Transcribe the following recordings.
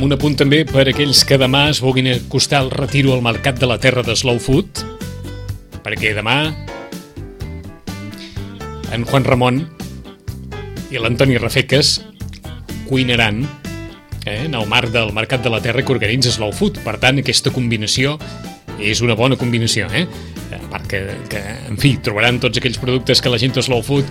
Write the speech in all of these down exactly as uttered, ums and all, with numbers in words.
amb un apunt també per aquells que demà es vulguin acostar al retiro al Mercat de la Terra de Slow Food, perquè demà en Juan Ramon i l'Antoni Rafeques cuinaran eh, en el marc del Mercat de la Terra que organitza Slow Food. Per tant, aquesta combinació és una bona combinació, eh? A part que, que, en fi, trobaran tots aquells productes que la gent de Slow Food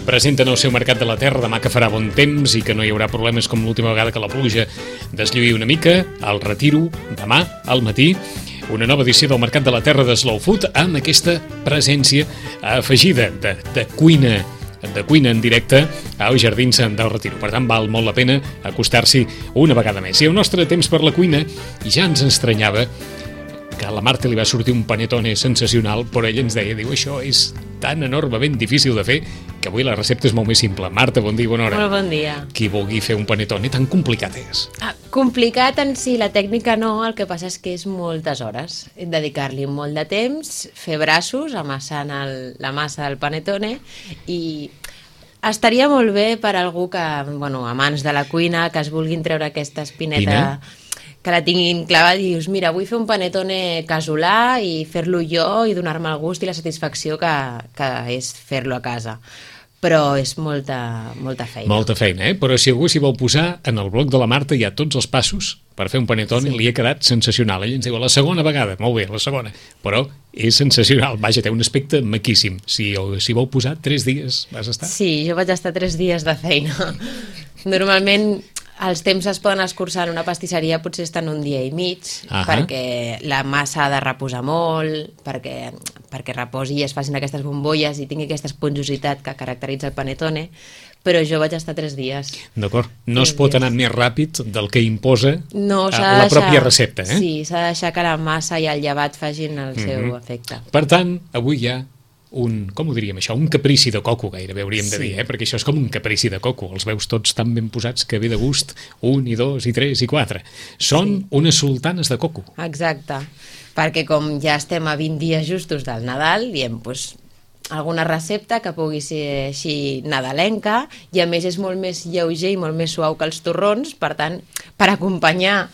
presenten al seu Mercat de la Terra demà, que farà bon temps i que no hi haurà problemes com l'última vegada que la pluja deslluïa una mica. Al retiro, demà, al matí, una nova edició del Mercat de la Terra de Slow Food amb aquesta presència afegida de, de cuina de cuina en directe als Jardins del Retiro. Per tant, val molt la pena acostar-s'hi una vegada més. I el nostre temps per la cuina, i ja ens estranyava que a la Marta li va sortir un panetone sensacional, però ella ens deia, diu, això és tan enormement difícil de fer que avui la recepta és molt més simple. Marta, bon dia, bona hora. Molt bon dia. Qui vulgui fer un panetone tan complicat és? Ah, complicat en si, la tècnica no, el que passa és que és moltes hores. Dedicar-li molt de temps, fer braços, amassant el, la massa del panetone, i estaria molt bé per algú que, bueno, amants de la cuina, que es vulguin treure aquesta espineta... Pina? Que la tinguin clavada i dius, mira, vull fer un panetone casolà i fer-lo jo i donar-me el gust i la satisfacció que, que és fer-lo a casa. Però és molta, molta feina. Molta feina, eh? Però si algú s'hi vol posar, en el blog de la Marta hi ha tots els passos per fer un panetone, sí. Li ha quedat sensacional. Ella ens diu, la segona vegada, molt bé, la segona, però és sensacional. Vaja, té un aspecte maquíssim. Si s'hi vol posar, tres dies vas estar? Sí, jo vaig estar tres dies de feina. Normalment... Els temps es poden escurçar en una pastisseria, potser estan un dia i mig, uh-huh. perquè la massa ha de reposar molt, perquè, perquè reposi i es facin aquestes bombolles i tingui aquesta esponjositat que caracteritza el panetone, però jo vaig estar tres dies. D'acord. No es pot anar més ràpid del que imposa no, de la pròpia recepta, eh? Sí, s'ha de deixar que la massa i el llevat facin el uh-huh. seu efecte. Per tant, avui hi ha un, com ho diríem això, un caprici de coco gairebé hauríem sí. de dir, eh? Perquè això és com un caprici de coco, els veus tots tan ben posats que ve de gust, un i dos i tres i quatre. Són sí. unes sultanes de coco. Exacte, perquè com ja estem a vint dies justos del Nadal, diem, doncs, alguna recepta que pugui ser així nadalenca, i a més és molt més lleuger i molt més suau que els torrons, per tant, per acompanyar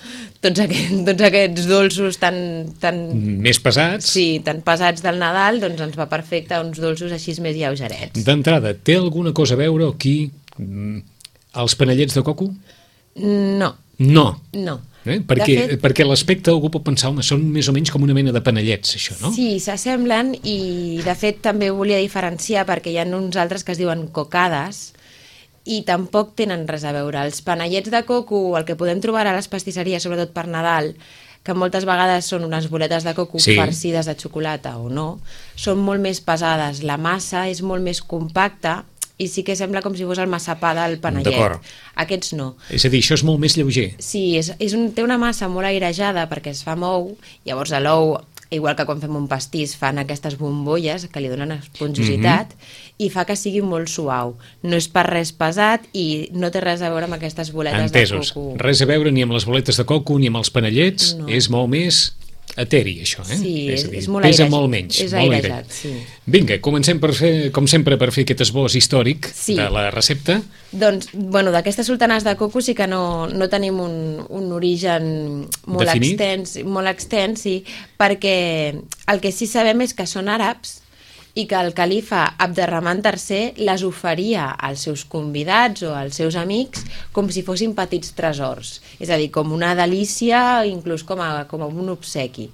tots aquests, tots aquests dolços tan, tan... més pesats. Sí, tan pesats del Nadal, doncs ens va perfecte uns dolços així més lleugerets. D'entrada, té alguna cosa a veure aquí els panellets de coco? No. No? No. Eh? Perquè, fet, perquè l'aspecte algú pot pensar, home, són més o menys com una mena de panellets, això, no? Sí, s'assemblen, i de fet també volia diferenciar perquè hi ha uns altres que es diuen cocades i tampoc tenen res a veure. Els panellets de coco, el que podem trobar a les pastisseries, sobretot per Nadal, que moltes vegades són unes boletes de coco sí. farcides de xocolata o no, són molt més pesades, la massa és molt més compacta i sí que sembla com si fos el massapà del panellet. Aquests no. És a dir, això és molt més lleuger. Sí, és, és un, té una massa molt airejada perquè es fa amb ou, llavors a l'ou, igual que quan fem un pastís, fan aquestes bombolles que li donen esponjositat mm-hmm. i fa que sigui molt suau. No és per res pesat i no té res a veure amb aquestes boletes Entesos. de coco. Res a veure ni amb les boletes de coco ni amb els panellets, no. És molt més... eteri, això, eh? Sí, és, és, dir, és molt pesa airejat. molt menys. És molt airejat, sí. Vinga, comencem per fer, com sempre, per fer aquest esbós històric sí. de la recepta. Doncs, bueno, d'aquestes sultanes de coco sí que no, no tenim un, un origen molt Definit? extens, molt extens, sí, perquè el que sí sabem és que són àrabs i que el califa Abderrahman tercer les oferia als seus convidats o als seus amics com si fossin petits tresors, és a dir, com una delícia, inclús com a, com a un obsequi.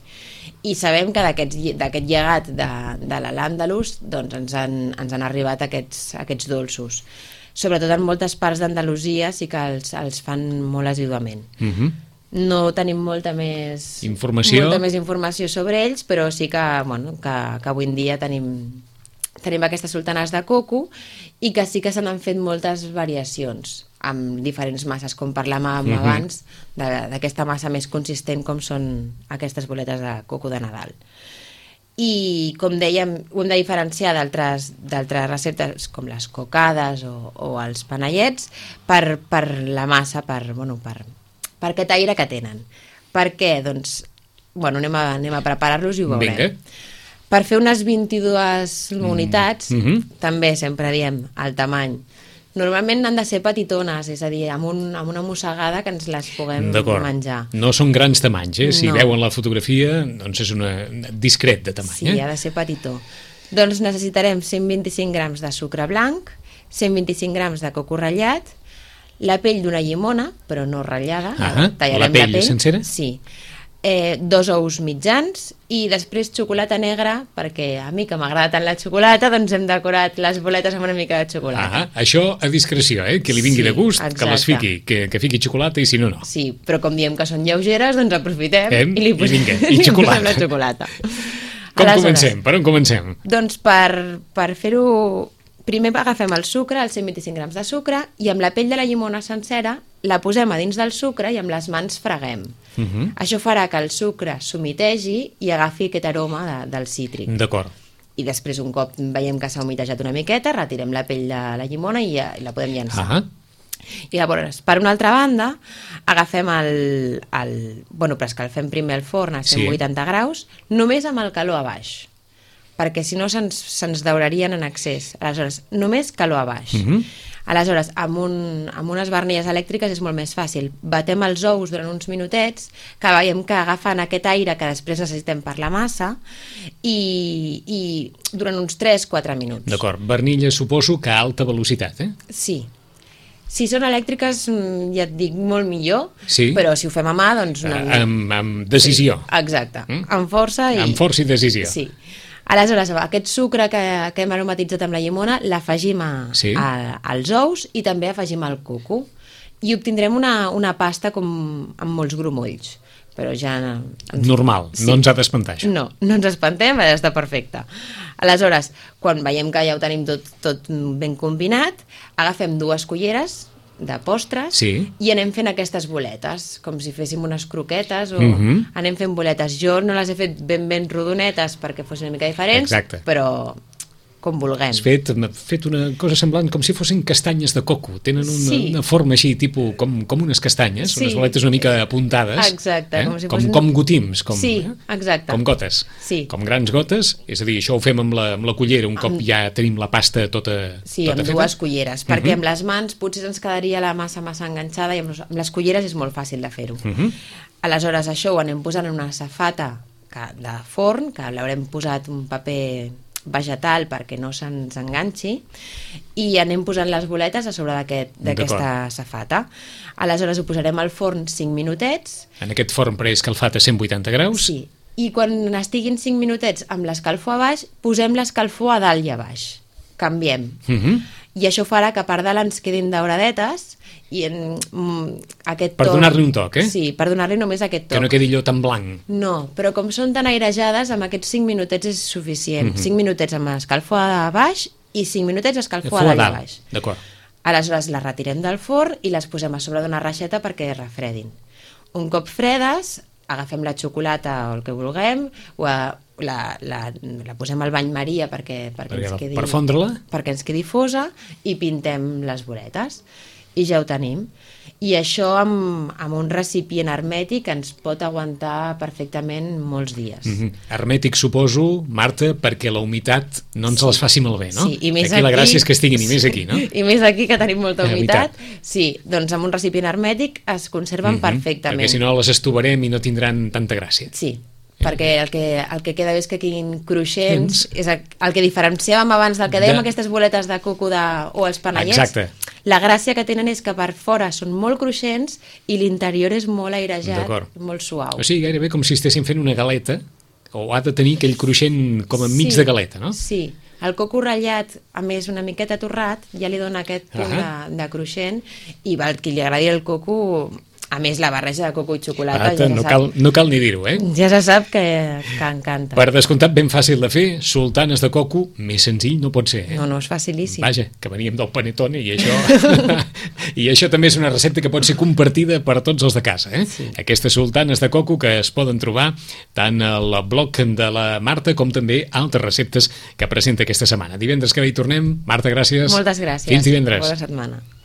I sabem que d'aquest llegat de, de l'Al-Àndalus doncs ens, han, ens han arribat aquests, aquests dolços. Sobretot en moltes parts d'Andalusia sí que els, els fan molt assiduament. Mhm. No tenim molta més informació. molta més informació sobre ells, però sí que, bueno, que, que avui en dia tenim, tenim aquestes sultanes de coco i que sí que se n'han fet moltes variacions amb diferents masses, com parlàvem uh-huh. abans, d'aquesta massa més consistent com són aquestes boletes de coco de Nadal. I, com dèiem, ho hem de diferenciar d'altres receptes com les cocades o, o els panellets per, per la massa, per, bueno, per per aquest aire que tenen. Per què? Doncs, bueno, anem a, anem a preparar-los i ho veurem. Vinga. Per fer unes vint-i-dues unitats, mm-hmm. també sempre diem el tamany Normalment han de ser petitones, és a dir, amb, un, amb una mossegada que ens les puguem menjar. No són grans tamanys, eh? Si no. veuen la fotografia, doncs és una discret de tamany. Sí, eh? ha de ser petitó. Doncs necessitarem cent vint-i-cinc grams de sucre blanc, cent vint-i-cinc grams de coco ratllat, la pell d'una llimona, però no ratllada. Ah, tallarem la pell la pell sencera? Sí. Eh, dos ous mitjans i després xocolata negra, perquè a mi que m'agrada tant la xocolata, doncs hem decorat les boletes amb una mica de xocolata. Ah, això a discreció, eh? Que li vingui Sí, de gust, exacte. que les fiqui, que, que fiqui xocolata i si no, no. Sí, però com diem que són lleugeres, doncs aprofitem Hem, i li posem, i vinga, i xocolata. la xocolata. Com Aleshores, comencem? Per on comencem? Doncs per, per fer-ho... Primer agafem el sucre, els cent vint-i-cinc grams de sucre, i amb la pell de la llimona sencera la posem a dins del sucre i amb les mans freguem. Uh -huh. Això farà que el sucre s'humitegi i agafi aquest aroma de, del cítric. D'acord. I després, un cop veiem que s'ha humitejat una miqueta, retirem la pell de la llimona i, ja, i la podem llançar. Uh -huh. I llavors, per una altra banda, agafem el... el bueno, preescalfem primer el forn a cent vuitanta sí. graus, només amb el calor a baix, perquè si no se'ns se daurarien en excés. Aleshores, només calor a baix. Uh -huh. Aleshores, amb, un, amb unes barnilles elèctriques és molt més fàcil. Batem els ous durant uns minutets, que veiem que agafen aquest aire que després necessitem per la massa, i, i durant uns tres quatre minuts. D'acord. Barnilles, suposo que a alta velocitat, eh? Sí. Si són elèctriques, ja et dic, molt millor, sí. però si ho fem a mà, doncs... Una... Uh, amb, amb decisió. Sí, exacte. Mm? Amb força i... Amb força i decisió. Sí. Aleshores, aquest sucre que, que hem aromatitzat amb la llimona l'afegim sí. als ous i també afegim el coco i obtindrem una, una pasta com amb molts grumolls, però ja... Ens... Normal, sí. No ens ha d'espantar això. No, no ens espantem, està perfecte. Aleshores, quan veiem que ja ho tenim tot, tot ben combinat, agafem dues culleres de postres sí. i anem fent aquestes boletes, com si féssim unes croquetes o uh -huh. anem fent boletes. Jo no les he fet ben ben rodonetes perquè fossin una mica diferents, exacte. Però com vulguem. Has fet, fet una cosa semblant com si fossin castanyes de coco. Tenen una, sí. una forma així, tipus, com, com unes castanyes, sí. unes boletes una mica apuntades. Exacte. Eh? Com, si com, fossin... com gotims. Com, sí, eh? exacte. Com gotes. Sí. Com grans gotes. És a dir, això ho fem amb la, amb la cullera, un cop amb... ja tenim la pasta tota, sí, tota feta. Sí, amb dues culleres, perquè uh -huh. amb les mans potser ens quedaria la massa massa enganxada i amb les culleres és molt fàcil de fer-ho. Uh -huh. Aleshores, això ho anem posant en una safata de forn, que l'haurem posat un paper vegetal perquè no se'ns enganxi, i anem posant les boletes a sobre d'aquesta safata. Aleshores ho posarem al forn cinc minutets. En aquest forn preescalfat a cent vuitanta graus? Sí, i quan estiguin cinc minutets amb l'escalfor a baix, posem l'escalfor a dalt i a baix. Canviem. Uh -huh. I això farà que per dalt ens quedin dauradetes i en mm, aquest per toc... Per donar-li un toc, eh? Sí, per donar-li només aquest toc. Que no quedi allò tan blanc. No, però com són tan airejades, amb aquests cinc minutets és suficient. Uh -huh. cinc minutets amb escalfor a baix i cinc minutets escalfor a dalt i a baix. D'acord. Aleshores les retirem del forn i les posem a sobre d'una reixeta perquè refredin. Un cop fredes, agafem la xocolata o el que vulguem, o a, la, la, la posem al bany Maria perquè, perquè, perquè ens quedi, per fondre-la, perquè ens quedi fosa, i pintem les boletes. I ja ho tenim. I això amb, amb un recipient hermètic ens pot aguantar perfectament molts dies. Mm-hmm. Hermètic, suposo, Marta, perquè la humitat no ens sí. les faci malbé, no? Sí, i més aquí, aquí la gràcia és que estiguin, i més aquí, no? I més aquí, que tenim molta humitat. humitat. Sí, doncs amb un recipient hermètic es conserven mm-hmm. perfectament. Perquè si no les estovarem i no tindran tanta gràcia. Sí, perquè el que, el que queda bé és que quedin cruixents, és el, el que diferenciàvem abans del que dèiem de... aquestes boletes de coco de, o els panellets. Exacte. La gràcia que tenen és que per fora són molt cruixents i l'interior és molt airejat, molt suau. O sigui, gairebé com si estessin fent una galeta, o ha de tenir aquell cruixent com enmig sí, de galeta, no? Sí, el coco ratllat, a més una miqueta torrat, ja li dona aquest punt uh-huh. de, de cruixent, i al qui li agradi el coco... A més, la barreja de coco i xocolata... Arata, ja no, sap, cal, no cal ni dir-ho, eh? Ja se sap que, que encanta. Per descomptat, ben fàcil de fer, sultanes de coco, més senzill no pot ser, eh? No, no, és facilíssim. Vaja, que veníem del Panettone i això... I això també és una recepta que pot ser compartida per tots els de casa, eh? Sí. Aquestes sultanes de coco que es poden trobar tant al blog de la Marta com també altres receptes que presenta aquesta setmana. Divendres que ve hi tornem. Marta, gràcies. Moltes gràcies. Fins divendres. Bona setmana.